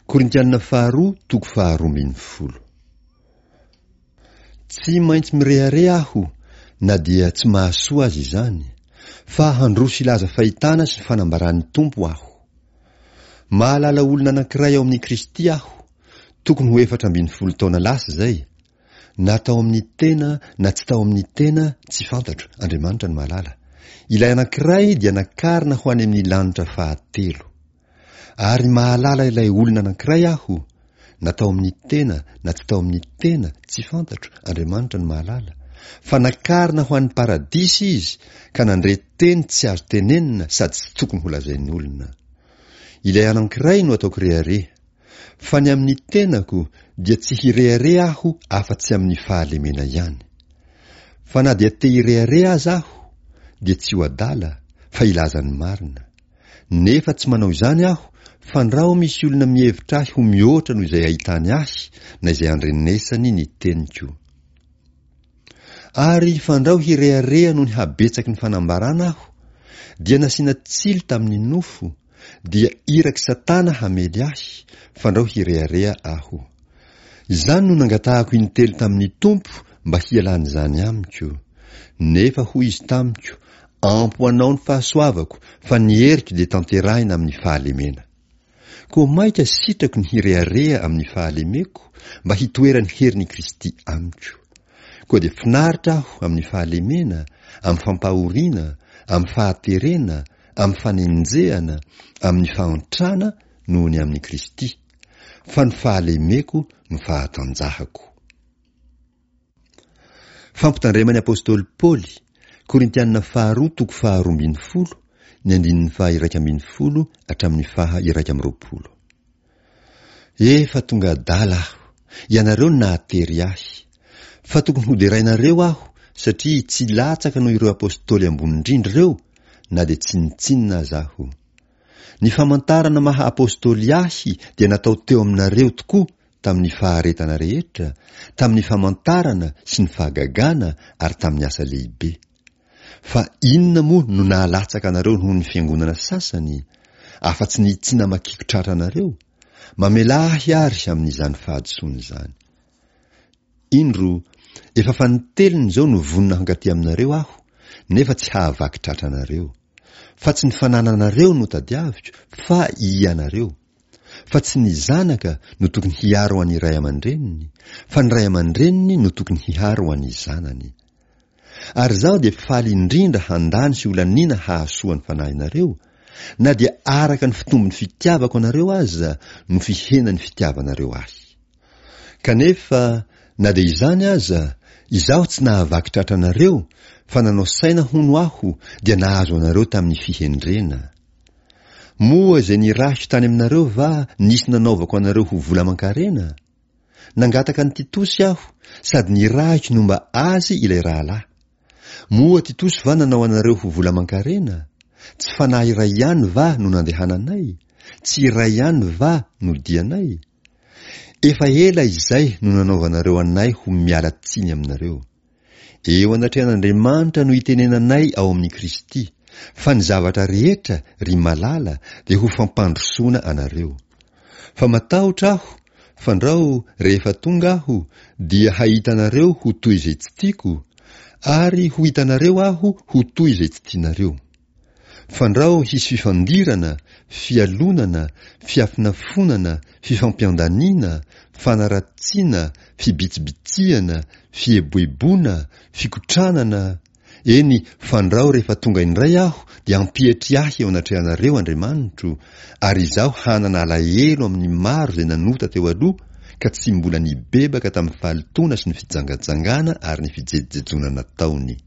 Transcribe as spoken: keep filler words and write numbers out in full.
Korintianina faharoa toko faharoa ambin'ny folo. Tsy maintsy mirehareha aho na dia tsy mahasoa aza izany, fa handroso hilaza fahitana sy fanambaran'ny Tompo aho. Mahalala olona anankiray ao amin'i Kristy aho, tokony ho efatra ambin'ny folo taona lasa izay, na tao amin'ny tena na tsy tao amin'ny tena, tsy fantatro, Andriamanitra no mahalala. Ilay anankiray dia nakarina ho any amin'ny lanitra fahatelo. Ary mahalala ilay olona anankiray aho, na tao amin'ny tena na tsy tao amin'ny tena, tsy fantatro, Andriamanitra no mahalala, fa nakarina ho any paradisa izy ka nandre teny tsy azo tenenina sady tsy tokony holazain'olona. Ilay anankiray no ataoko rehareha, fa ny amin'ny tenako dia tsy hirehareha aho afa-tsy amin'ny fahalemena ihany. Fa na dia te hirehareha aza aho, dia tsy ho adala, fa hilaza ny marina. Nefa tsy manao izany aho, fandrao misy olona mihevitra ahy ho mihoatra noho izay ahitany ahy na izay andrenesany ny teniko. Ary fandrao hirehareha noho ny habetsaky ny fanambarana aho, dia nasiana tsilo tamin'ny nofo, dia irak'i Satana hamely ahy, fandrao hirehareha aho. Izany no nangatahako intelo tamin'ny Tompo mba hialan'izany amiko. Nefa hoy izy tamiko, ampy ho anao ny fahasoavako, fa ny heriko dia tanterahina amin'ny fahalemena. Koa mainka sitrako ny hirehareha amin'ny fahalemeko, mba hitoeran'ny herin'i Kristy amiko. Koa dia finaritra aho amin'ny fahalemena, amin'ny fampahoriana, amin'ny fahaterena, amin'ny fanenjehana, amin'ny fahantrana noho ny amin'i Kristy, fa ny fahalemeko no fahatanjahako. Fampitandreman'ny apostoly Paoly, Korintianina faharoa toko faharoa ambin'ny folo, ny andininy faha iraika ambin'ny folo hatramin'ny faha iraika amby roapolo. Efa tonga adala aho, ianareo no nahatery ahy. Fa tokony hoderainareo aho satria tsy latsaka noho ireo apostoly ambony indrindra ireo, na dia tsinontsinona aza aho. Ny famantarana maha apostoly ahy dia natao teo aminareo tokoa tamin'ny faharetana rehetra, tamin'ny famantarana sy ny fahagagana ary tamin'ny asa lehibe. Fa inona moa no nahalatsaka anareo noho ny fiangonana sasany, afa-tsy ny tsy namakiako tratra anareo? Mamelà ahy ary amin'izany fahadisoana izany. Indro, efa fanintelony izao no vonona hankaty aminareo aho, nefa tsy hahavaky tratra anareo. Fa tsy ny fanananareo no tadiaviko, fa ianareo. Fa tsy ny zanaka no tokony hiaro an'ny ray aman-dreniny, fa ny ray aman-dreniny no tokony hiaro an'ny zanany. Ary izaho dia faly indrindra handany sy holaniana hahasoa ny fanahinareo, na dia araka ny fitombon'ny fitiavako anareo aza no fihenan'ny fitiavanareo ahy. Kanefa, na dia izany aza, izaho tsy nahavaky tratra anareo, fa nanao saina hono aho, dia nahazo anareo tamin'ny fihendrena. Moa izay nirahiko tany aminareo va nisy nanaovako anareo ho vola aman-karena? Nangataka an'i Titosy aho, sady nirahiko nomba azy ilay rahalahy. Moa Titosy va nanao anareo ho vola aman-karena? Tsy fanahy iray ihany va no nandehananay? Tsy iray ihany va no dianay? Efa ela izay no nanaovanareo anay ho miala tsiny aminareo. Eo anatrehan'Andriamanitra no itenenanay ao amin'i Kristy, fa ny zavatra rehetra, ry malala, dia ho fampandrosoana anareo. Fa matahotra aho, fandrao rehefa tonga aho, dia hahita anareo ho toy izay tsy tiako, ary ho hitanareo aho ho toy izay tsy tianareo. Fandrao hisy fifandirana, fialonana, fiafonafonana, fifampiandaniana, fanaratsiana, fibitsibitsihana, fieboeboana, fikotranana, eny fandrao rehefa tonga indray aho dia hampietry ahy eo anatrehanareo Andriamanitro, ary izaho hanana alahelo amin'ny maro izay nanota teo aloha ka tsy mbola nibebaka tamin'ny fahalotoana sy ny fijangajangana ary ny fijejojejoana nataony.